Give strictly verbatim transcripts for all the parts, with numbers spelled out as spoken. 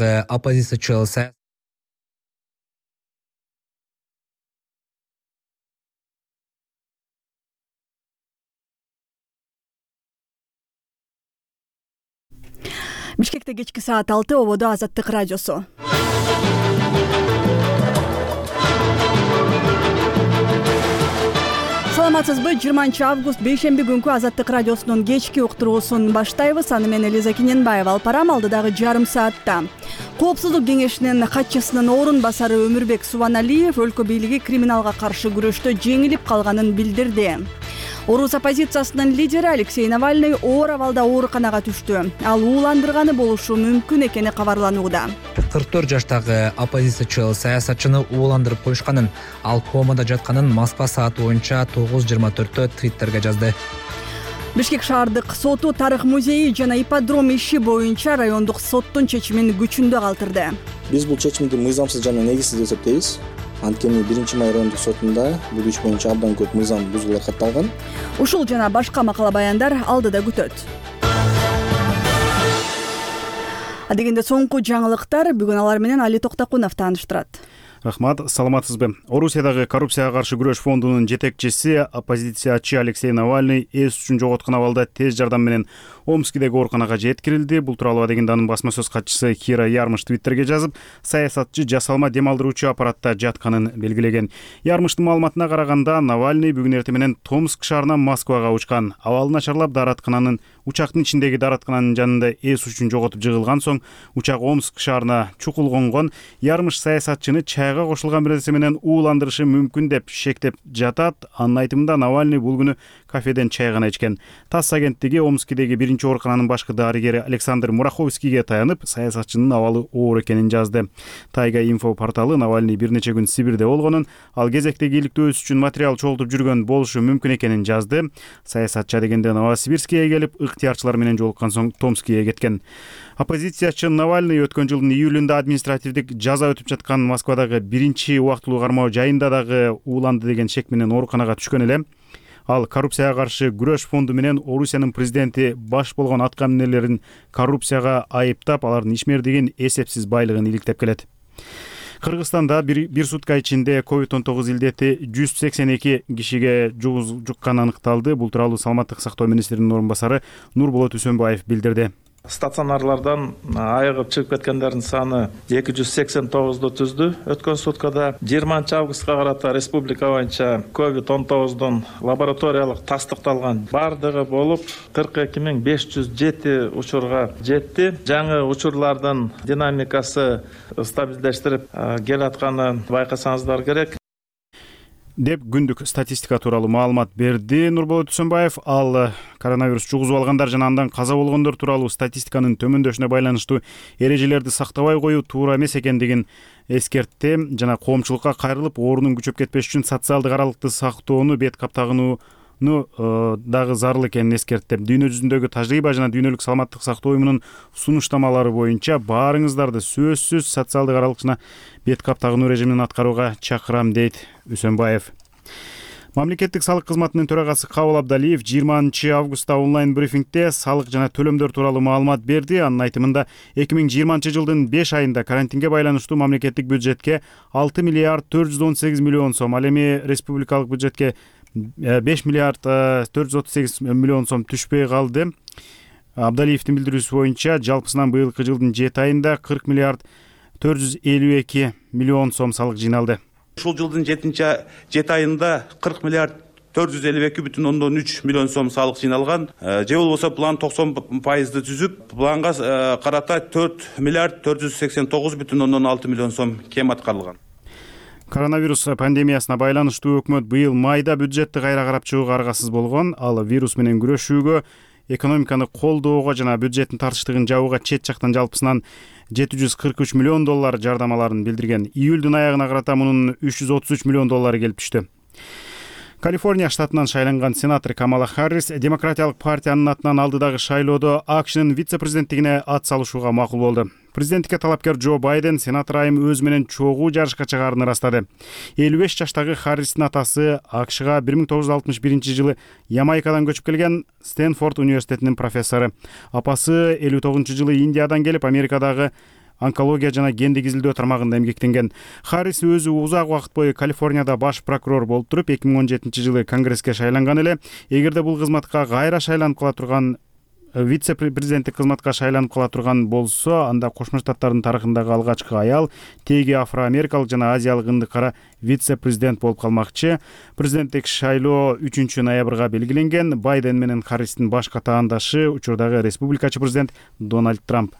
оппозициячыл Бишкекте кечки саат алты, ободо Азаттык радиосу. Саламатсызбы? жыйырманчы август бейшемби күнкү Азаттык радиосунун кечки уктуруусун баштайбыз. Аны мен Элиза Киненбаева алып барам. Алдыдагы жарым саатта Коопсуздук кеңешинин катчысынын орун басары Өмүрбек Субаналиев өлкө бийлиги криминалга каршы күрөштө жеңилип калганын билдирди. Орус оппозициясынын лидери Алексей Навальный оор абалда ооруканага түштү. Ал ууландырганы болушу мүмкүн экени кабарланууда. кырк төрт жаштагы оппозициячыл саясатчыны ууландырып коюшканын, ал комада жатканын Москва сааты боюнча тогуз жыйырма төрттө Твиттерге жазды. Бишкек шаардык соту Тарых музейи жана ипподром иши боюнча райондук соттун чечимин күчүндө калтырды. Биз бул чечимди мыйзамсыз жана негизсиз деп эсептейбиз. Анткени биринчи май райондук сотунда бул иш боюнча абдан көп мыйзам бузуулар катталган. Ушул жана башка макала баяндар алдыда күтөт. Адегенде соңку жаңылыктар бүгүн алар менен Али Токтакунов тааныштырат. Рахмат, саламатсызбы? Орусиядагы коррупцияга каршы күрөш фондунун жетекчиси, оппозициячы Алексей Навальный эс үчүн жоготкон абалда тез жардам менен Омскидеги ооруканага жеткирилди. Бул тууралуу адегенде анын басма сөз катчысы Кира Ярмыш Твиттерге жазып, саясатчы жасалма дем алдыруучу аппаратта жатканын белгилеген. Ярмыштын маалыматына караганда, Навальный бүгүн эртең менен Томск шаарынан Москвага учкан. Абалы начарлап, даараткананын учактын ичиндеги даараткананын жанында эс үчүн жоготуп жыгылган соң учак Омск шаарына чукул конгон. Ярмыш саясатчыны чайга кошулган бир нерсе менен ууландырышы мүмкүн деп шектеп жатат. Анын айтымында Навальный бул күнү кафеден чай гана ичкен. ТАСС агенттиги Омскидеги биринчи оорукананын башкы дарыгери Александр Мураховскийге таянып, саясатчынын абалы оор экенин жазды. Тайга инфо порталы Навальный бир нече күн Сибирде болгонун, ал кезектеги иликтөөсү үчүн материал чогултуп жүргөн болушу мүмкүн экенин жазды. Саясатчы дегенде Новосибирскке келип, ыктыярчылар менен жолуккан соң Томскке кеткен. Оппозициячы Навальный өткөн жылдын июлунда административдик жаза өтүп жаткан Москвадагы биринчи убактылуу кармоо жайында дагы ууланды деген шек менен ооруканага түшкөн эле. Ал коррупцияга каршы күрөш фонду менен Орусиянын президенти баш болгон аткаминерлерин коррупцияга айыптап, алардын ишмердигин, эсепсиз байлыгын иликтеп келет. Кыргызстанда бир, бир сутка ичинде ковид он тогуз илдети жүз сексен эки кишиге жукканы аныкталды. Бул тууралуу саламаттык сактоо министринин орун басары Нурболот Үсөнбаев билдирди. Стационарлардан айыгып чыгып кеткендердин саны эки жүз сексен тогузду түздү. Өткөн суткада жыйырманчы августка карата республика боюнча ковид он тогуздун лабораториялык тастыкталган бардыгы болуп кырк эки миң беш жүз жети учурга жетти. Жаңы учурлардын динамикасы стабилдештирип келатканын байкасаңыздар керек деп күндүк статистика тууралуу маалымат берди Нурболот Үсөнбаев. Ал коронавирус жугузуп алгандар жана андан каза болгондор тууралуу статистиканын төмөндөшүнө байланыштуу эрежелерди сактабай коюу туура эмес экендигин эскертти жана коомчулукка кайрылып, оорунун күчөп кетпеш үчүн социалдык аралыкты сактоону, бет каптагынууну дагы зарыл экенин эскертти. Дүйнө жүзүндөгү тажрыйба жана дүйнөлүк саламаттык сактоо уюмунун сунуштамалары боюнча баарыңыздарды сөзсүз социалдык аралык жана бет каптагынуу режимин аткарууга чакырам, дейт Үсөнбаев. Мамлекеттик салык кызматынын төрагасы Кабыл Абдалиев жыйырманчы августта онлайн брифингде салык жана төлөмдөр тууралуу маалымат берди. Анын айтымында эки миң жыйырманчы жылдын беш айында карантинге байланыштуу мамлекеттик бюджетке алты миллиард төрт жүз он сегиз миллион сом, ал эми республикалык бюджетке беш миллиард төрт жүз отуз сегиз миллион сом түшпөй калды. Абдалиевдин билдирүүсү боюнча жалпысынан быйылкы жылдын жети айында кырк миллиард төрт жүз элүү эки миллион сом салык жыйналды. Ушул жылдын жети айында кырк миллиард төрт жүз элүү эки бүтүн ондон үч миллион сом салык жыйналган. Же болбосо план токсон пайызды түзүп, планга карата төрт миллиард төрт жүз сексен тогуз бүтүн ондон алты миллион сом кем аткарылган. Коронавирус пандемиясына байланыштуу өкмөт быйыл майда бюджетти кайра карап чыгууга аргасыз болгон. Ал вирус менен күрөшүүгө, экономиканы колдоого жана бюджеттин тартыштыгын жабууга чет жактан жалпысынан жети жүз кырк үч миллион доллар жардамаларын билдирген. Июлдун аягына карата мунун үч жүз отуз үч миллион доллары келип түштү. Калифорния штатынан шайланган сенатор Камала Харрис Демократиялык партиянын атынан алдыдагы шайлоодо АКШнын вице-президенттигине ат салышууга макул болду. Президенттикке талапкер Джо Байден сенатор айым өз менен чогуу жарышка чыгаарын ырастады. элүү беш жаштагы Харристин атасы АКШга бир миң тогуз жүз алтымыш биринчи жылы Ямайкадан көчүп келген, Стэнфорд университетинин профессору. Апасы элүү тогузунчу жылы Индиядан келип, Америкадагы онкология жана гендик изилдөө тармагында эмгектенген. Харрис өзү узак убакыт бою Калифорнияда баш прокурор болуп туруп, эки миң он жетинчи жылы Конгресске шайланган эле. Эгерде бул кызматка кайра шайланып кала турган вице-президенттик кызматка шайланып кала турган болсо, анда Кошмо Штаттардын тарыхындагы алгачкы аял, теги афро-америкалык жана азиялык ындыкара вице-президент болуп калмакчы. Президенттик шайлоо үчүнчү ноябрга белгиленген. Байден менен Харристин баш катаандашы учурдагы республикачы президент Дональд Трамп.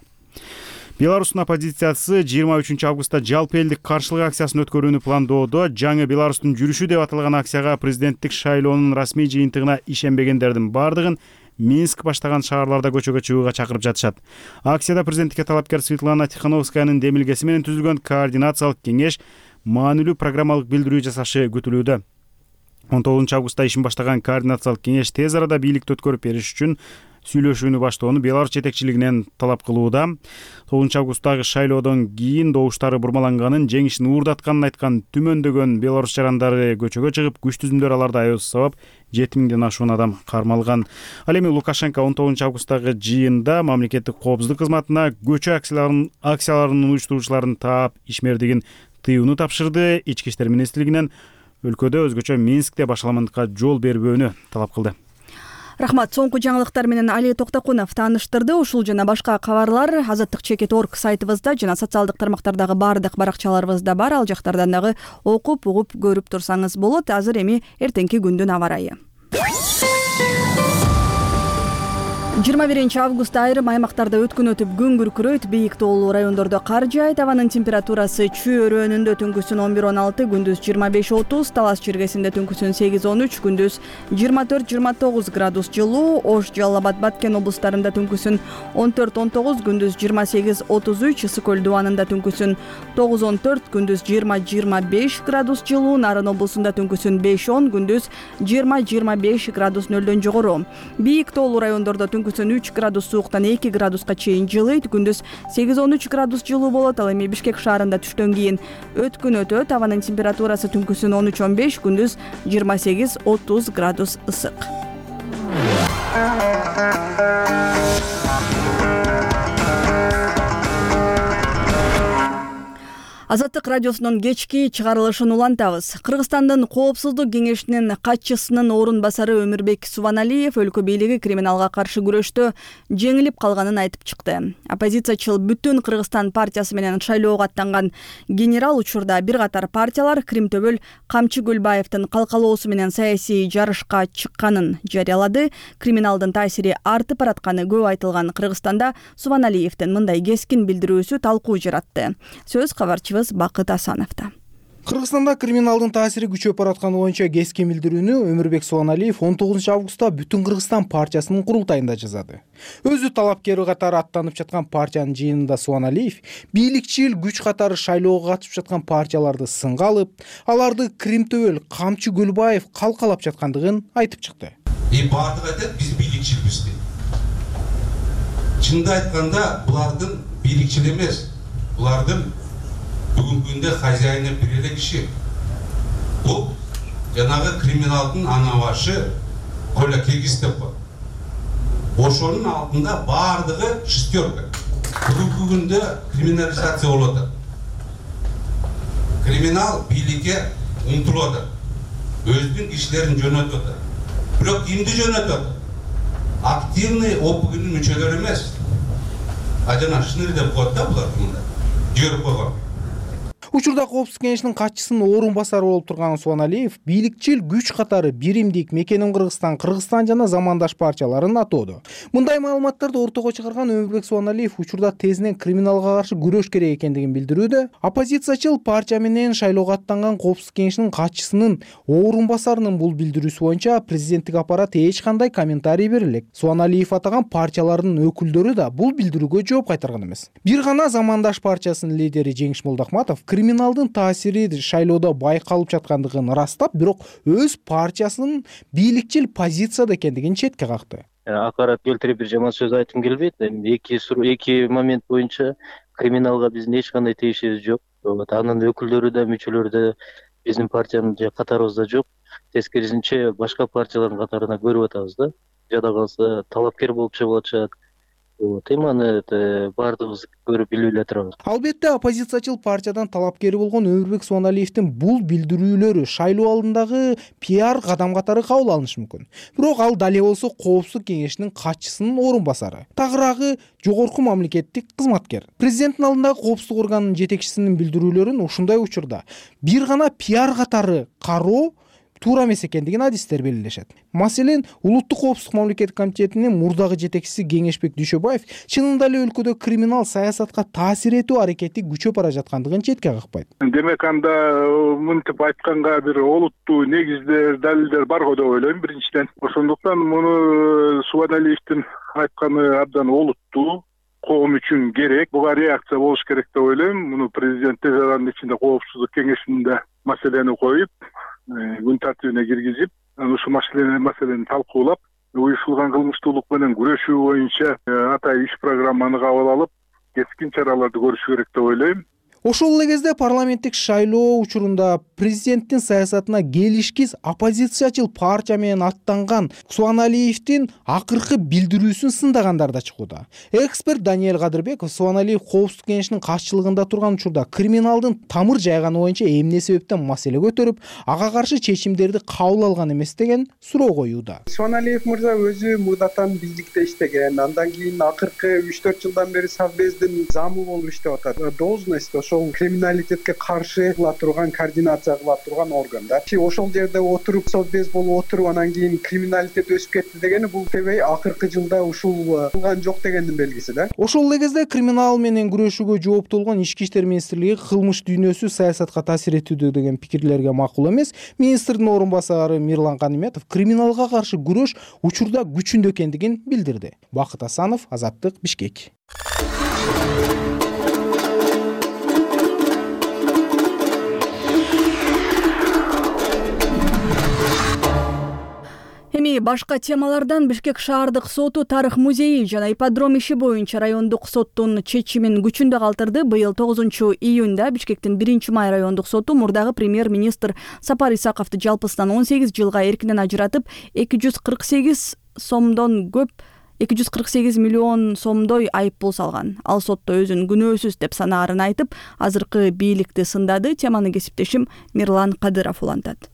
Беларустун оппозициясы жыйырма үчүнчү августта жалпы элдик каршылык акциясын өткөрүүнү пландоодо. Жаңы Беларустун жүрүшү деп аталган акцияга президенттик шайлоонун расмий жыйынтыгына ишенбегендердин бардыгын Минск баштаган шаарларда көчөгө чыгууга чакырып жатышат. Акцияда президенттикке талапкер Светлана Тихановскаянын демилгеси менен түзүлгөн координациялык кеңеш маанилүү программалык билдирүү жасашы күтүлүүдө. он тогузунчу августта ишин баштаган координациялык кеңеш тез арада бийликти өткөрүп бериш үчүн сүйлөшүүнү баштоону Беларусь жетекчилигинен талап кылууда. тогузунчу августтагы шайлоодон кийин добуштары бурмаланганын, жеңишин уурдатканын айткан түмөндөгөн белорус жарандары көчөгө чыгып, күч түзүмдөр аларда аябыз сабап жети миңден ашуун адам кармалган. Ал эми Лукашенко он тогузунчу августтагы жыйында мамлекеттик коопсуздук кызматына көчө акцияларын акцияларынын уюштуруучуларын таап, ишмердигин тыюуну тапшырды. Ички иштер министрлигинен өлкөдө, өзгөчө Минскте башаламандыкка жол бербөөнү талап кылды. Рахмат. Соңку жаңылыктар менен Али Токтокунов тааныштырды. Ушул жана башка кабарлар азаттык чекит точка орг сайтыбызда жана социалдык тармактардагы баардык баракчаларыбызда бар. Ал жактардан дагы окуп, угуп көрүп турсаңыз болот. Азыр эми эртеңки күндүн аба ырайы. жыйырма биринчи августта айрым аймактарда өткөн өтүп күн күркүрөйт. Бийик тоолуу райондордо кар жаайт. Абанын температурасы Чүй өрөөнүндө түнкүсүн он бир он алты, күндүз жыйырма беш отуз, Талас чиркесинде түнкүсүн сегиз он үч, күндүз жыйырма төрт жыйырма тогуз градус жылуу. Ош, Жалал Абад, Баткен облустарында түнкүсүн он төрт он тогуз, күндүз жыйырма сегиз отуз үч, Ысык көл дубанында түнкүсүн тогуз он төрт, күндүз жыйырма жыйырма беш градус жылуу. Нарын облусунда түнкүсүн беш он, күндүз жыйырма жыйырма беш градус нөлдөн жогору. Бийик тоолуу райондордо түнкүсүн үч градус сууктан эки градуска чейин жылыйт. Күндүз сегиз он үч градус жылуу болот. Ал эми Бишкек шаарында түштөн кийин өткүн өтөт. Абанын температурасы түнкүсүн он үч он беш, күндүз жыйырма сегиз отуз градус ысык. Азаттык радиосунун кечки чыгарылышын улантабыз. Кыргызстандын Коопсуздук кеңешинин катчысынын орун басары Өмүрбек Субаналиев өлкө бийлиги криминалга каршы күрөштө жеңилип калганын айтып чыкты. Оппозициячыл Бүтүн Кыргызстан партиясы менен шайлоого аттанган генерал учурда бир катар партиялар Кримтөбөл Камчы Гүлбаевдин калкалоосу менен саясий жарышка чыкканын жарыялады. Криминалдын таасири артып баратканы көп айтылган Кыргызстанда Субаналиевдин мындай кескин билдирүүсү талкуу жаратты. Сөз кабарчы Бакыт Асановда. Кыргызстанда криминалдын таасири күчөп баратканы боюнча кескин билдирүүнү Өмүрбек Субаналиев он тогузунчу августта Бүтүн Кыргызстан партиясынын курултайында жасады. Өзү талапкер катары аттанып жаткан партиянын жыйынында Субаналиев бийликчил күч катары шайлоого катышып жаткан партияларды сынга алып, аларды Кримтөбөл Камчы Гүлбаев калкалап жаткандыгын айтып чыкты. И бардыгы айтат, биз бийликчилбиз дейт. Чынында айтканда, булардын бийликчил эмес, булардын бүгүнкү күндө хозяйны бир эле киши. Бул жанагы криминалдын ана башы Коля Киргиз деп коет. Ошонун алдында бардыгы шестерка. Бүгүнкү күндө криминализация болуп атат. Криминал бийликке умтулуп атат. Өзүнүн кишилерин жөнөтүп атат. Бирок кимди жөнөтүп атат? Активный ОПГнын мүчөлөрү эмес. А жана шыныр деп коет да булар мындай. Жөрүп койгон. Учурда Коопсуздук кеңешинин катчысынын орун басары болуп турган Субаналиев бийликчил күч катары Биримдик, Мекеним Кыргызстан, Кыргызстан жана замандаш партияларын атоодо. Мындай маалыматтарды ортого чыгарган Өмүрбек Субаналиев учурда тезинен криминалга каршы күрөш керек экендигин билдирүүдө. Оппозициячыл партия менен шайлоого аттанган Коопсуздук кеңешинин катчысынын орун басарынын бул билдирүүсү боюнча президенттик аппарат эч кандай комментарий бере элек. Субаналиев атаган партиялардын өкүлдөрү да бул билдирүүгө жооп кайтарган эмес. Бир гана замандаш партиясынын лидери Жеңиш Молдохматов криминалдын таасири шайлоодо байкалып жаткандыгын ырастап, бирок өз партиясынын бийликчил позицияда экендигин четке какты. Акарат келтирип бир жаман сөз айтым келбейт. Эки эки момент боюнча криминалга биздин эч кандай тиешибиз жок. Анын өкүлдөрү да, мүчөлөрү да биздин партиянын катарыбызда жок. Тескерисинче башка партиялардын катарына көрүп атабыз да. Жада калса талапкер болуп чыгып атышат. теманы баардыгыбыз көрүп билип эле турабыз. Албетте оппозициячыл партиядан талапкери болгон Өмүрбек Субаналиевдин бул билдирүүлөрү шайлоо алдындагы пиар кадам катары кабыл алынышы мүмкүн. Бирок ал дале болсо Коопсуздук кеңешинин катчысынын орун басары, тагыраагы жогорку мамлекеттик кызматкер. Президенттин алдындагы коопсуздук органынын жетекчисинин билдирүүлөрүн ушундай учурда бир гана пиар катары кароо туура эмес экендигин адистер белгилешет. Маселен, Улуттук коопсуздук мамлекеттик комитетинин мурдагы жетекчиси Кеңешбек Дүйшөбаев чынында эле өлкөдө криминал саясатка таасир этүү аракети күчөп бара жаткандыгын четке какпайт. Демек анда мынтип айтканга бир олуттуу негиздер, далилдер бар го деп ойлойм биринчиден. Ошондуктан муну Субаналиевдин айтканы абдан олуттуу, коом үчүн керек. Буга реакция болуш керек деп ойлойм. Муну президент тез аранын ичинде коопсуздук кеңешинде маселени коюп, күн тартибине киргизип, ушул маселени маселени талкуулап, уюшулган кылмыштуулук менен күрөшүү боюнча атайын иш программаны кабыл алып, кескин чараларды көрүш керек деп ойлойм. Ошол эле кезде парламенттик шайлоо учурунда президенттин саясатына келишкиз оппозициячыл партия менен аттанган Субаналиевдин акыркы билдирүүсүн сындагандар да чыгууда. Эксперт Даниэль Кадырбеков Субаналиев Коопсуздук кеңешинин катчылыгында турган учурда криминалдын тамыр жайганы боюнча эмне себептен маселе көтөрүп, ага каршы чечимдерди кабыл алган эмес деген суроо коюуда. Субаналиев мырза өзү мурдатан бийликте иштеген, андан кийин акыркы үч төрт жылдан бери Совбездин замы болуп иштеп атат. Должность ошол криминалитетке каршы кыла турган, координация кыла турган органдар. Ошол жерде отуруп, Совбез болуп отуруп, анан кийин криминалитет өсүп кетти дегени бул тебей акыркы жылда ушул кылган жок дегендин белгиси да. Ошол эле кезде криминал менен күрөшүүгө жооптуу болгон Ички иштер министрлиги кылмыш дүйнөсү саясатка таасир этүүдө деген пикирлерге макул эмес. Министрдин орун басары Мирлан Каниметов криминалга каршы күрөш учурда күчүндө экендигин билдирди. Бакыт Асанов, Азаттык, Бишкек. Эми башка темалардан Бишкек шаардык соту тарых музейи жана ипподром иши боюнча райондук соттун чечимин күчүндө калтырды. Быйыл тогузунчу июнда Бишкектин биринчи май райондук соту мурдагы премьер-министр Сапар Исаковду жалпысынан он сегиз жылга эркинен ажыратып, эки жүз кырк сегиз сомдон көп эки жүз кырк сегиз миллион сомдой айып пул салган. Ал сотто өзүн күнөөсүз деп санаарын айтып, азыркы бийликти сындады. Теманы кесиптешим Мирлан Кадыров улантат.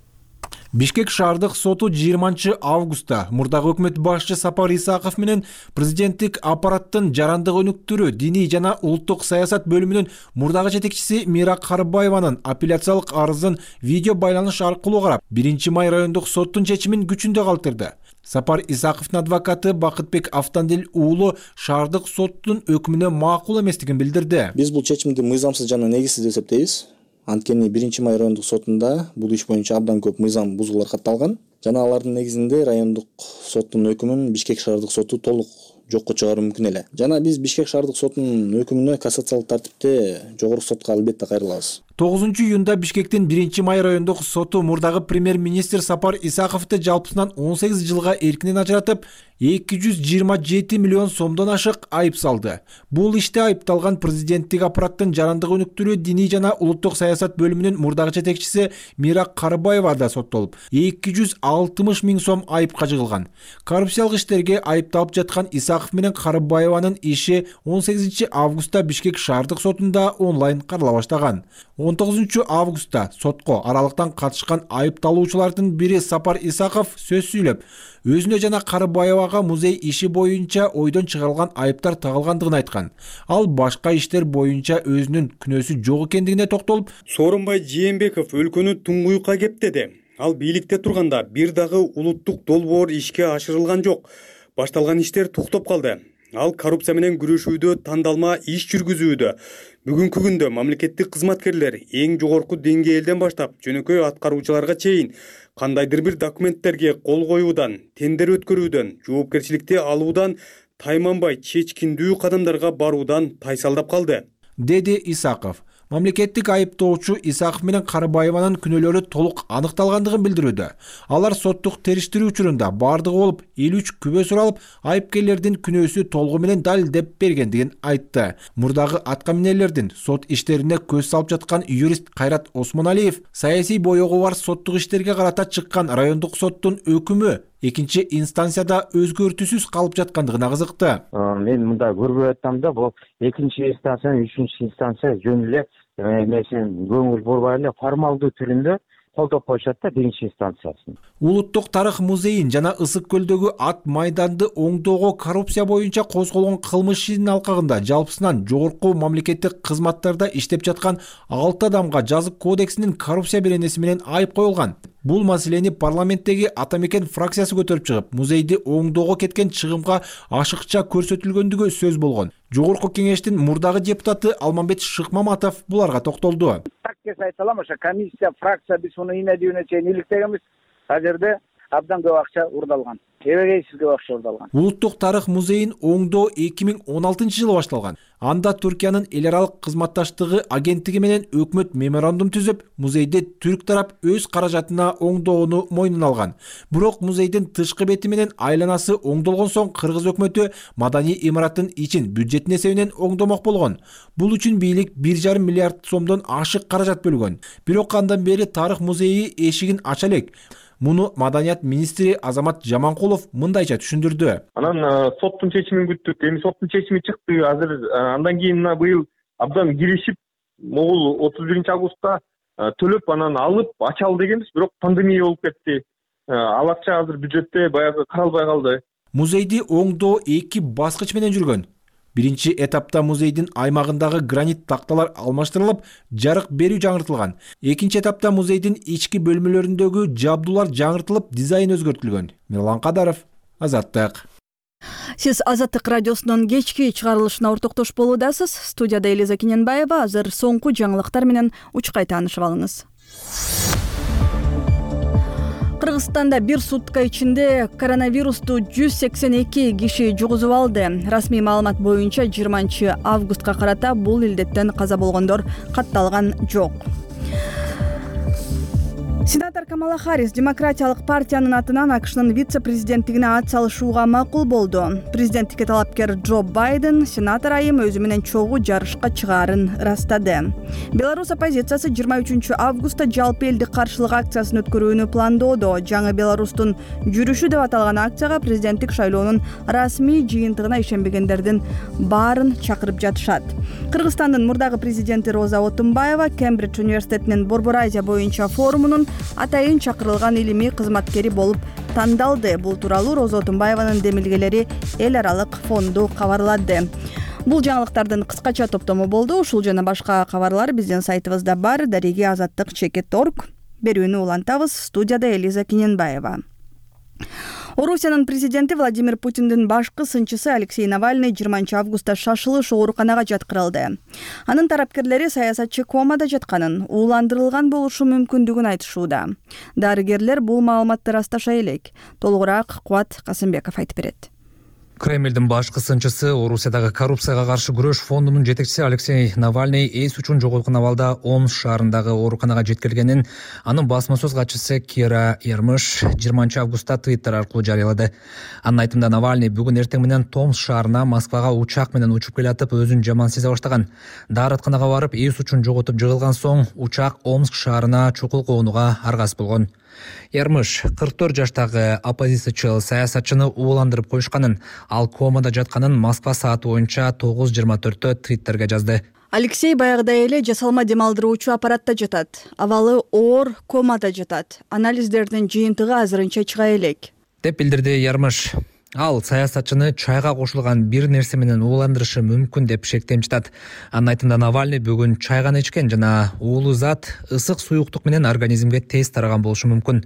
Бишкек шаардык соту жыйырманчы августта мурдагы өкмөт башчы Сапар Исаков менен президенттик аппараттын жарандык өнүктүрүү, диний жана улуттук саясат бөлүмүнүн мурдагы жетекчиси Мира Карыбаеванын апелляциялык арызын видео байланыш аркылуу карап, биринчи май райондук соттун чечимин күчүндө калтырды. Сапар Исаковдун адвокаты Бакытбек Автандил уулу шаардык соттун өкүмүнө макул эместигин билдирди. Биз бул чечимди мыйзамсыз жана негизсиз деп эсептейбиз. Анткени биринчи май райондук сотунда бул иш боюнча абдан көп мыйзам бузуулар катталган жана алардын негизинде райондук соттун өкүмүн Бишкек шаардык соту толук жокко чыгаруу мүмкүн эле. Жана биз Бишкек шаардык сотунун өкүмүнө кассациялык тартипте жогорку сотко албетте кайрылабыз. тогузунчу июнда Бишкектин биринчи май райондук соту мурдагы премьер-министр Сапар Исаковду жалпысынан он сегиз жылга эркинен ажыратып, эки жүз жыйырма жети миллион сомдон ашык айып салды. Бул иште айыпталган президенттик аппараттын жарандык өнүктүрүү, диний жана улуттук саясат бөлүмүнүн мурдагы жетекчиси Мира Карыбаева да соттолуп, эки жүз алтымыш миң сом айыпка жыгылган. Коррупциялык иштерге айыпталып жаткан Исаков менен Карыбаеванын иши он сегизинчи августта Бишкек шаардык сотунда онлайн карала баштаган. он тогузунчу августта сотко аралыктан катышкан айыпталуучулардын бири Сапар Исаков сөз сүйлөп, өзүнө жана Карыбаевага музей иши боюнча ойдон чыгарылган айыптар тагылгандыгын айткан. Ал башка иштер боюнча өзүнүн күнөөсү жок экендигине токтолуп, Сооронбай Жээнбеков өлкөнү туңгуюкка кептеди. Ал бийликте турганда бир дагы улуттук долбоор ишке ашырылган жок. Башталган иштер токтоп калды. Ал коррупция менен күрөшүүдө тандалма иш жүргүзүүдө. Бүгүнкү күндө мамлекеттик кызматкерлер эң жогорку деңгээлден баштап жөнөкөй аткаруучуларга чейин кандайдыр бир документтерге кол коюудан, тендер өткөрүүдөн, жоопкерчиликти алуудан тайманбай чечкиндүү кадамдарга баруудан тайсалдап калды, деди Исаков. мамлекеттик айыптоочу Исаков менен Карыбаеванын күнөөлөрү толук аныкталгандыгын билдирүүдө. Алар соттук териштирүү учурунда бардыгы болуп элүү үч күбө суралып, айыпкерлердин күнөөсү толугу менен далилдеп бергендигин айтты. Мурдагы аткаминерлердин сот иштерине көз салып жаткан юрист Кайрат Осмоналиев саясий боёгу бар соттук иштерге карата чыккан райондук соттун өкүмү экинчи инстанцияда өзгөртүүсүз калып жаткандыгына кызыкты. Мен мында көрбөй атам да, бул экинчи инстанция, үчүнчү инстанция жөн эле эмесин көңүл бурбай эле формалдуу түрүндө колдоп коюшат да биринчи инстанциясын. Улуттук тарых музейин жана Ысык көлдөгү ат майданды оңдоого коррупция боюнча козголгон кылмыш ишинин алкагында жалпысынан жогорку мамлекеттик кызматтарда иштеп жаткан алты адамга жазык кодексинин коррупция беренеси менен айып коюлган. Бул маселени парламенттеги Ата Мекен фракциясы көтөрүп чыгып, музейди оңдоого кеткен чыгымга ашыкча көрсөтүлгөндүгү сөз болгон. Жогорку кеңештин мурдагы депутаты Алмамбет Шыкмаматов буларга токтолду. Так айталам, ошо комиссия, фракция биз уну ийне-дүйнө чейин иликтегенбиз. Ал жерде абдан көп акча урдалган. Эбегейсиз көп акча урдалган. Улуттук тарых музейин оңдоо эки миң он алтынчы жылы башталган. Анда Түркиянын эл аралык кызматташтыгы агенттиги менен өкмөт меморандум түзүп, музейди түрк тарап өз каражатына оңдоону мойнуна алган. Бирок музейдин тышкы бети менен айланасы оңдолгон соң кыргыз өкмөтү маданий имараттын ичин бюджеттин эсебинен оңдомок болгон. Бул үчүн бийлик бир жарым миллиард сомдон ашык каражат бөлгөн. Бирок андан бери тарых музейи эшигин ача элек. Муну маданият министри Азамат Жаманкулов мындайча түшүндүрдү. Анан соттун чечимин күттүк. Эми соттун чечими чыкты. Азыр андан кийин мына быйыл абдан киришип, могул отуз биринчи августта төлөп анан алып ачалы дегенбиз, бирок пандемия болуп кетти. Ал акча азыр бюджетте баягы каралбай калды. Музейди оңдоо эки баскыч менен жүргөн. Биринчи этапта музейдин аймагындагы гранит такталар алмаштырылып, жарык берүү жаңыртылган. Экинчи этапта музейдин ички бөлмөлөрүндөгү жабдуулар жаңыртылып, дизайн өзгөртүлгөн. Мирлан Кадаров, Азаттык. Сиз Азаттык радиосунун кечки чыгарылышына ортоктош болуудасыз. Студияда Элиза Кененбаева. Азыр соңку жаңылыктар менен учкай таанышып алыңыз. Кыргызстанда бир сутка ичинде коронавирусту жүз сексен эки киши жугузуп алды. Расмий маалымат боюнча жыйырманчы августка карата бул илдеттен каза болгондор катталган жок. Сенатор Камала Харрис демократиялык партиянын атынан АКШнын вице-президенттигине ат салышууга макул болду. Президенттикке талапкер Джо Байден сенатор айым өзү менен чогуу жарышка чыгаарын ырастады. Беларусь оппозициясы жыйырма үчүнчү августта жалпы элдик каршылык акциясын өткөрүүнү пландоодо. Жаңы Беларустун жүрүшү деп аталган акцияга президенттик шайлоонун расмий жыйынтыгына ишенбегендердин баарын чакырып жатышат. Кыргызстандын мурдагы президенти Роза Отунбаева Кембридж университетинин Борбор Азия боюнча форумунун атайын чакырылган илимий кызматкери болуп тандалды. Бул тууралуу Роза Отунбаеванын демилгелери эл аралык фонду кабарлады. Бул жаңылыктардын кыскача топтому болду. Ушул жана башка кабарлар биздин сайтыбызда бар. Дареги азаттык чекит точка орг. Берүүнү улантабыз. Студияда Элиза Кененбаева. Орусиянын президенти Владимир Путиндин башкы сынчысы Алексей Навальный жыйырманчы августта шашылыш ооруканага жаткырылды. Анын тарапкерлери саясатчы комада жатканын, ууландырылган болушу мүмкүндүгүн айтышууда. Дарыгерлер бул маалыматты расташа элек. Толугураак Кубат Касымбеков айтып берет. Кремлдин башкы сынчысы Орусиядагы коррупцияга каршы күрөш фондунун жетекчиси Алексей Навальный эс үчүн жоготкон абалда Омск шаарындагы ооруканага жеткирилгенин анын басма сөз катчысы Кира Ярмыш жыйырманчы августта Твиттер аркылуу жарыялады. Анын айтымында Навальный бүгүн эртең менен Томск шаарына Москвага учак менен учуп келатып, өзүн жаман сезе баштаган. Дааратканага барып эс үчүн жоготуп жыгылган соң учак Омск шаарына чукул коонуга аргасыз болгон. Ярмыш кырк төрт жаштагы оппозициячыл саясатчыны ууландырып коюшканын, ал комада жатканын Москва сааты боюнча тогуз жыйырма төрттө Твиттерге жазды. Алексей баягыдай эле жасалма дем алдыруучу аппаратта жатат. Абалы оор комада жатат. Анализдердин жыйынтыгы азырынча чыга элек, деп билдирди Ярмыш. Ал саясатчыны чайга кошулган бир нерсе менен ууландырышы мүмкүн деп шектемчитат. Анын айтымында Навальный бүгүн чай гана ичкен жана уулуу зат ысык суюктук менен организмге тез тараган болушу мүмкүн.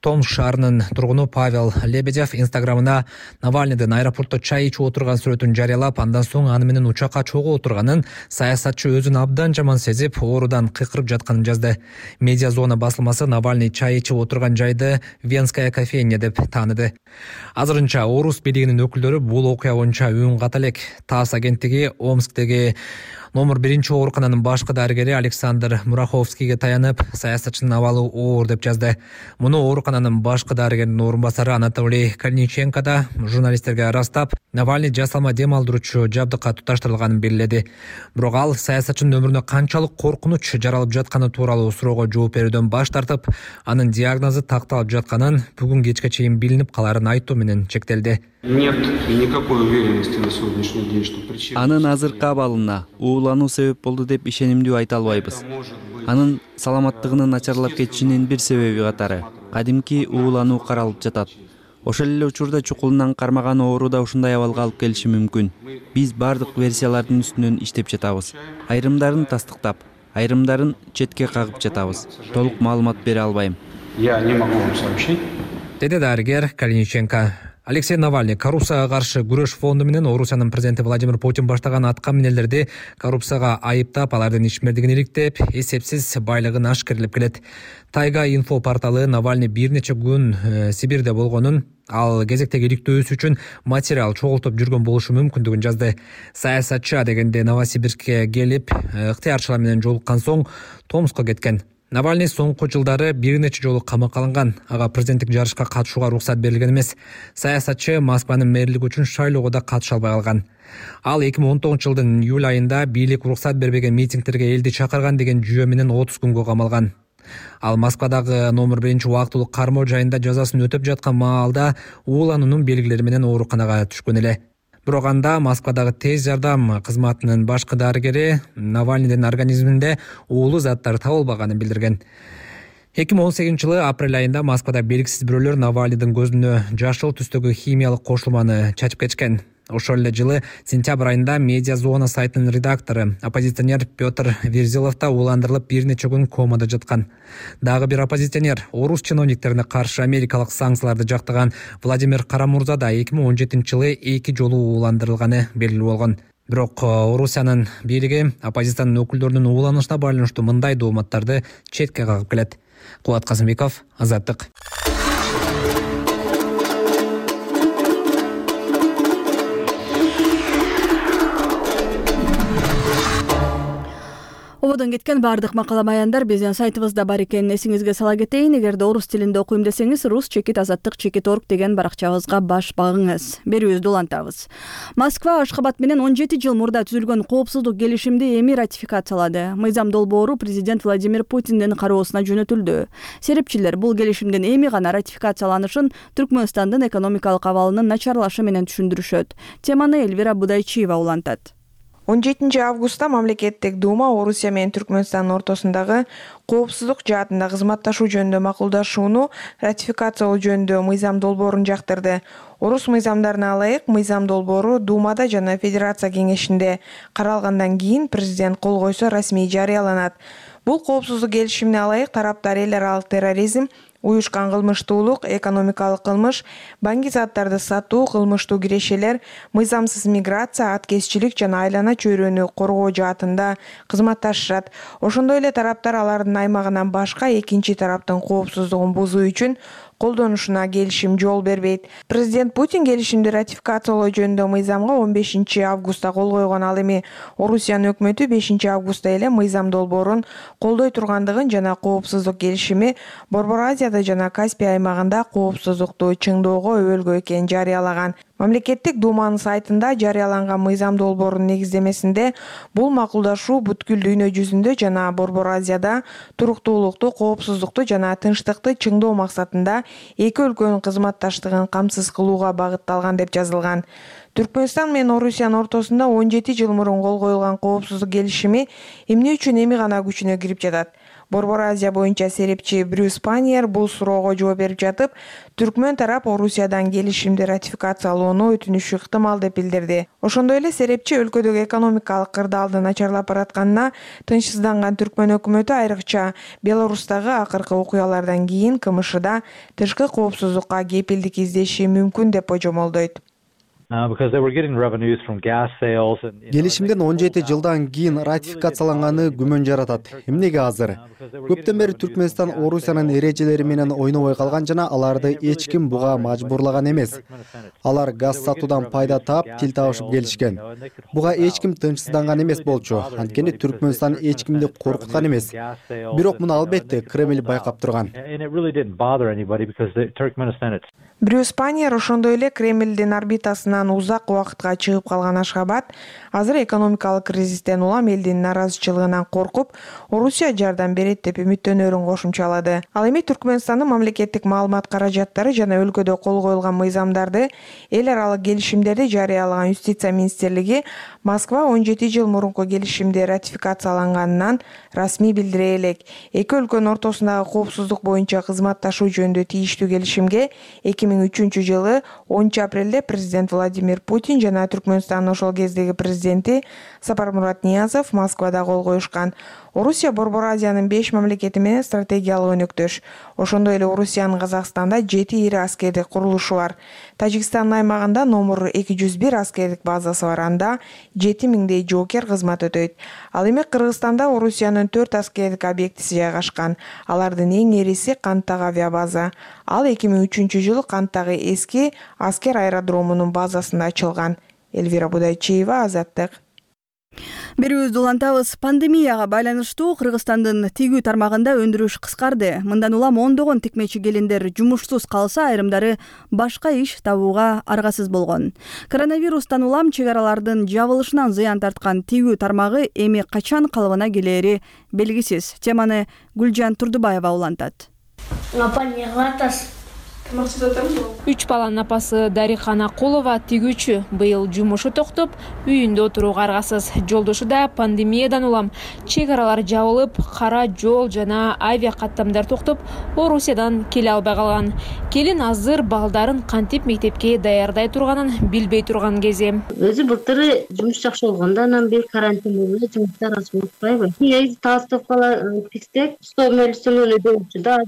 Томск шаарынын тургуну Павел Лебедев инстаграмына Навальныйдын аэропортто чай ичип отурган сүрөтүн жарыялап, андан соң аны менен учакка чогуу отурганын, саясатчы өзүн абдан жаман сезип, оорудан кыйкырып жатканын жазды. Медиа зона басылмасы Навальный чай ичип отурган жайды Венская кофейня деп тааныды. Азырынча Орус бийлигинин өкүлдөрү бул окуя боюнча үн ката элек. ТАСС агенттиги Омсктеги Номер биринчи оорукананын башкы дарыгери Александр Мураховскийге таянып, саясатчынын абалы оор деп жазды. Муну оорукананын башкы дарыгеринин орун басары Анатолий Калиниченко да журналисттерге ырастап, Навальный жасалма дем алдыруучу жабдыкка туташтырылганын белгиледи. Бирок ал саясатчынын өмүрүнө канчалык коркунуч жаралып жатканы тууралуу суроого жооп берүүдөн баш тартып, анын диагнозу такталып жатканын бүгүн кечке чейин билинип каларын айтуу менен чектелди. Нет никакой уверенности на сегодняшний день, что причина... Анын азыркы абалына уулануу себеп болду деп ишенимдүү айта албайбыз. Анын саламаттыгынын начарлап кетишинин бир себеби катары кадимки уулануу каралып жатат. Ошол эле учурда чукулунан кармаган оору да ушундай абалга алып келиши мүмкүн. Биз бардык версиялардын үстүнөн иштеп жатабыз. Айрымдарын тастыктап, айрымдарын четке кагып жатабыз. Толук маалымат бере албайм. Я не могу вам сообщить. Деди дарыгер Калиниченко. Алексей Навальный коррупцияга каршы күрөш фонду менен Орусиянын президенти Владимир Путин баштаган атка минелерди коррупцияга айыптап, алардын ишмердигин иликтеп, эсепсиз байлыгын ашкерлеп келет. Тайга инфо порталы Навальный бир нече күн э, Сибирде болгонун, ал кезектеги иликтөөсү үчүн материал чогултуп жүргөн болушу мүмкүндүгүн жазды. Саясатчы дегенде Новосибирскке келип, ыктыярчылар менен жолуккан соң Томскко кеткен. Навальный соңку жылдары бир нече жолу камакка алынган. Ага президенттик жарышка катышууга уруксат берилген эмес. Саясатчы Москванын мэрлиги үчүн шайлоого да катыша албай калган. Ал эки миң он тогузунчу жылдын июль айында бийлик уруксат бербеген митингтерге элди чакырган деген жүйө менен отуз күнгө камалган. Ал Москвадагы номер биринчи убактылык кармоо жайында жазасын өтөп жаткан маалда уулануунун белгилери менен ооруканага түшкөн эле. Бирок анда Москвадагы тез жардам кызматынын башкы дарыгери Навальныйдын организминде уулуу заттар табылбаганын билдирген. эки миң он сегизинчи жылы апрель айында Москвада белгисиз бирөөлөр Навальныйдын көзүнө жашыл түстөгү химиялык кошулманы чачып кетишкен. Ошол эле жылы сентябрь айында Медиа Зона сайтынын редактору, оппозиционер Петр Верзилов да ууландырылып бир нече күн комада жаткан. Дагы бир оппозиционер, орус чиновниктерине каршы америкалык санкцияларды жактаган Владимир Карамурза да эки миң он жетинчи жылы эки жолу ууландырылганы белгилүү болгон. Бирок Орусиянын бийлиги оппозициянын өкүлдөрүнүн ууланышына байланыштуу мындай дооматтарды четке кагып келет. Кубат Казымбеков, Азаттык. Ободон кеткен бардык макала баяндар биздин сайтыбызда бар экенин эсиңизге сала кетейин. Эгерде орус тилинде окуйм десеңиз, рус чекит азаттык чекит орг деген баракчабызга баш багыңыз. Берүүбүздү улантабыз. Москва Ашхабад менен он жети жыл мурда түзүлгөн коопсуздук келишимди эми ратификациялады. Мыйзам долбоору президент Владимир Путиндин кароосуна жөнөтүлдү. Серепчилер бул келишимдин эми гана ратификацияланышын Түркмөнстандын экономикалык абалынын начарлашы менен түшүндүрүшөт. Теманы Эльвира Будайчиева улантат. он жетинчи августта мамлекеттик дума Орусия менен Түркмөнстандын ортосундагы коопсуздук жаатында кызматташуу жөнүндө макулдашууну ратификациялоо жөнүндө мыйзам долбоорун жактырды. Орус мыйзамдарына ылайык мыйзам долбоору Думада жана Федерация кеңешинде каралгандан кийин президент кол койсо расмий жарыяланат. Бул коопсуздук келишимине ылайык тараптар эл аралык терроризм, уюшкан кылмыштуулук, экономикалык кылмыш, банги заттарды сатуу, кылмыштуу кирешелер, мыйзамсыз миграция, аткезчилик жана айлана чөйрөнү коргоо жаатында кызматташышат. Ошондой эле тараптар алардын аймагынан башка экинчи тараптын коопсуздугун бузуу үчүн колдонушуна келишим жол бербейт. Президент Путин келишимди ратификациялоо жөнүндө мыйзамга он бешинчи августта кол койгон. Ал эми Орусиянын өкмөтү бешинчи августта эле мыйзам долбоорун колдой тургандыгын жана коопсуздук келишими Борбор Азияда жана Каспий аймагында коопсуздукту чыңдоого өбөлгө экенин жарыялаган. Мамлекеттик думанын сайтында жарыяланган мыйзам долбоорунун негиздемесинде бул макулдашуу бүткүл дүйнө жүзүндө жана Борбор Азияда туруктуулукту, коопсуздукту жана тынчтыкты чыңдоо максатында эки өлкөнүн кызматташтыгын камсыз кылууга багытталган деп жазылган. Түркмөнстан менен Орусиянын ортосунда он жети жыл мурун кол коюлган коопсуздук келишими эмне үчүн эми гана күчүнө кирип жатат? Борбор Азия боюнча серепчи Брюс Паньер бул суроого жооп берип жатып, Түркмөн тарап Орусиядан келишимди ратификациялоону өтүнүшү ыктымал деп билдирди. Ошондой эле серепчи өлкөдөгү экономикалык кырдаалдын начарлап баратканына тынчсызданган Түркмөн өкмөтү айрыкча Беларустагы акыркы окуялардан кийин КМШда тышкы коопсуздукка кепилдик издеши мүмкүн деп божомолдойт. Келишимден он жети жылдан кийин ратификацияланганы күмөн жаратат. Эмнеге азыр? Көптөн бери Түркмөнстан Орусиянын эрежелери менен ойнобой калган жана аларды эч ким буга мажбурлаган эмес. Алар газ сатуудан пайда таап, тил табышып келишкен. Буга эч ким тынчсызданган эмес болчу. Анткени Түркмөнстан эч кимди коркуткан эмес. Бирок муну албетте Кремль байкап турган. Брюс Паньер ошондой эле Кремлдин орбитасынан узак убакытка чыгып калган Ашхабад азыр экономикалык кризистен улам элдин нааразычылыгынан коркуп, Орусия жардам берет деп үмүттөнөрүн кошумчалады. Ал эми Түркмөнстандын мамлекеттик маалымат каражаттары жана өлкөдө кол коюлган мыйзамдарды, эл аралык келишимдерди жарыялаган Юстиция министрлиги Москва он жети жыл мурунку келишимди ратификацияланганынан расмий билдире элек. Эки өлкөнүн ортосундагы коопсуздук боюнча кызматташуу жөнүндө тийиштүү келишимге эки миң үчүнчү жылы онунчу апрелде президент Владимир Путин жана Түркмөнстандын ошол кездеги президенти Сапармурат Ниязов Москвада кол коюшкан. Орусия Борбор Азиянын беш мамлекети менен стратегиялык өнөктөш. Ошондой эле Орусиянын Казакстанда жети ири аскердик курулушу бар. Тажикстандын аймагында номер эки жүз бир аскердик базасы бар, анда жети миңдей жоокер кызмат өтөйт. Ал эми Кыргызстанда Орусиянын төрт аскердик объектиси жайгашкан. Алардын эң ириси Канттагы авиабаза. Ал эки миң үчүнчү жылы Канттагы эски аскер аэродромунун базасында ачылган. Элвира Будайчиева, Азаттык. Берүүбүздү улантабыз. Пандемияга байланыштуу Кыргызстандын тигүү тармагында өндүрүш кыскарды. Мындан улам ондогон тикмечи келиндер жумушсуз калса, айрымдары башка иш табууга аргасыз болгон. Коронавирустан улам чек аралардын жабылышынан зыян тарткан тигүү тармагы эми качан калыбына келери белгисиз. Теманы Гүлжан Турдубаева улантат. Үч баланын апасы Дарихан Акулова тигүүчү. Быйыл жумушу токтоп, үйүндө отурууга аргасыз. Жолдошу да пандемиядан улам чек аралар жабылып, кара жол жана авиа каттамдар токтоп, Орусиядан келе албай калган. Келин азыр балдарын кантип мектепке даярдай турганын билбей турган кези. Өзү былтыр жумуш жакшы болгондо, анан бир карантин болуп, жумуштар аз болуп калбайбы? Негизи таастыккала тиксек, сто мөлчөрүнө өдөчү да,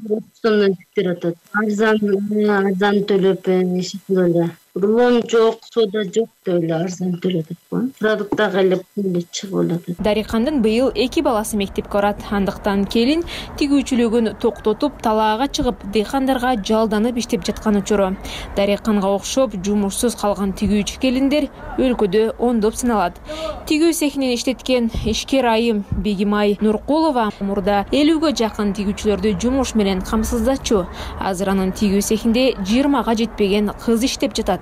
сомдон тиктер атат. Арзан арзан төлөп эшиктерде рулон жок, сода жок деп эле арзан төлөдүк. Продукт дагы эле эле чыгып атат. Дарихандын быйыл эки баласы мектепке барат. Андыктан келин тигүүчүлүгүн токтотуп, талаага чыгып, дыйкандарга жалданып иштеп жаткан учуру. Дариханга окшоп жумушсуз калган тигүүчү келиндер өлкөдө ондоп саналат. Тигүү цехинен иштеткен ишкер айым Бегимай Нуркулова мурда элүүгө жакын тигүүчүлөрдү жумуш менен камсыздачу. Азыр анын тигүү цехинде жыйырмага жетпеген кыз иштеп жатат.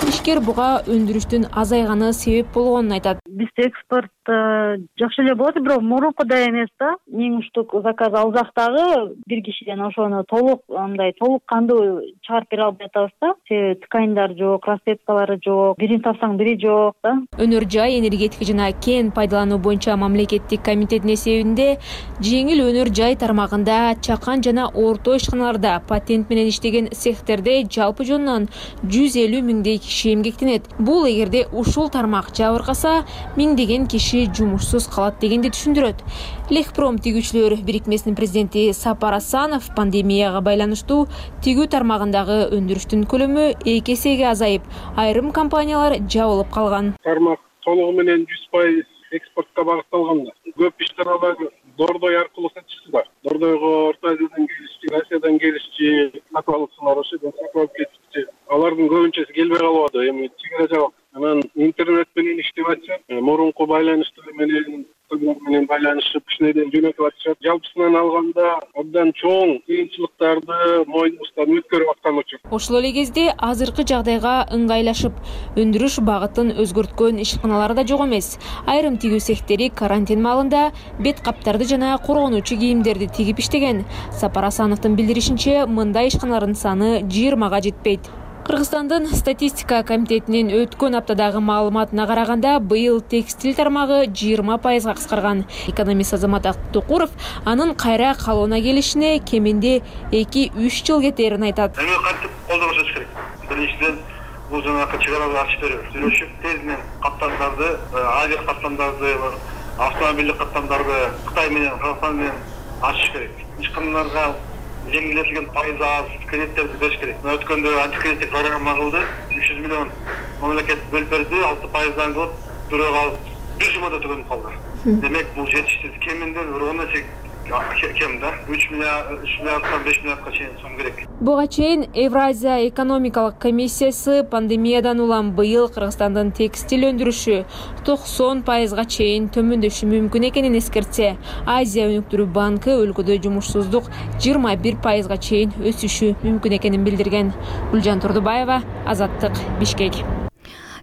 Ишкер буга өндүрүштүн азайганы себеп болгонун айтат. Биз экспорт жакшы эле болот, бирок мурункудай эмес да. Миң штук заказ алсак дагы бир кишиден ошону толук андай толук кандуу чыгарып бере албай атабыз да. Себеби тканьдар жок, расцветкалары жок, бирин тапсаң бири жок да. Өнөр жай энергетика жана кен пайдалануу боюнча мамлекеттик комитеттин эсебинде жеңил өнөр жай тармагында чакан жана орто ишканаларда патент менен иштеген цехтерде жалпы жонунан жүз элүү миңдей киши эмгектенет. Бул эгерде ушул тармак жабыркаса, миңдеген киши жумушсуз калат дегенди түшүндүрөт. Лехпром тигүүчүлөр бирикмесинин президенти Сапар Асанов пандемияга байланыштуу тигүү тармагындагы өндүрүштүн көлөмү эки эсеге азайып, айрым компаниялар жабылып калган. Тармак толугу менен жүз пайыз экспортко багытталган. Көп ишканалар Дордой аркылуу сатышысы бар. Дордойго Орто Азиядан келишчи, Россиядан келишчи сатып алыпсыңар, ошодон сатып алып кетишчи. Алардын көбүнчөсү келбей калып атат. Эми чегара жабык. Анан интернет менен иштеп атышат. Мурунку байланыштар менен менен байланышып, кишинеден жөнөтүп атышат. Жалпысынан алганда абдан чоң кыйынчылыктарды мойнубуздан өткөрүп аткан учур. Ошол эле кезде азыркы жагдайга ыңгайлашып, өндүрүш багытын өзгөрткөн ишканалар да жок эмес. Айрым тигүү цехтери карантин маалында бет каптарды жана коргонуучу кийимдерди тигип иштеген. Сапар Асановдун билдиришинче, мындай ишканалардын саны жыйырмага жетпейт. Кыргызстандын статистика комитетинин өткөн аптадагы маалыматына караганда, быйыл текстиль тармагы жыйырма пайызга кыскарган. Экономист Азамат Актукуров анын кайра калууна келишине кеминде эки үч жыл кетерин айтат. Эми кантип колдоо жасаш керек? Биринчиден, бул жанагы чек араларды ачып берүү. Сүйлөшүп, тезинен каттамдарды, авиа каттамдарды, автомобилдик каттамдарды Кытай менен, Кыргызстан менен ачыш керек. Ишканаларга жеңилдетилген пайызы аз кредиттерди бериш керек. Өткөндө антикредиттик программа кылды, үч жүз миллион мамлекет бөлүп берди, алты пайыздан кылып бирөө калып бир жумада түгөнүп калды. Демек бул жетиштүү, кеминде бир он эсе кем да, үч миллиарддан беш миллиардка чейин сом керек. Буга чейин Евразия экономикалык комиссиясы пандемиядан улам быйыл Кыргызстандын текстиль өндүрүшү токсон пайызга чейин төмөндөшү мүмкүн экенин эскертсе, Азия өнүктүрүү банкы өлкөдө жумушсуздук жыйырма бир пайызга чейин өсүшү мүмкүн экенин билдирген. Гүлжан Турдубаева, Азаттык, Бишкек.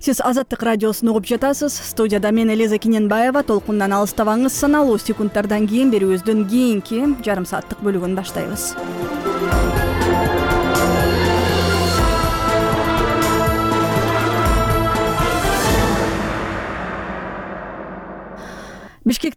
Сиз Азаттык радиосун угуп жатасыз. Студияда мен Элиза Киненбаева. Толкундан алыстабаңыз. Саналуу секундтардан кийин берүүбүздүн кийинки жарым сааттык бөлүгүн баштайбыз. Бишкекте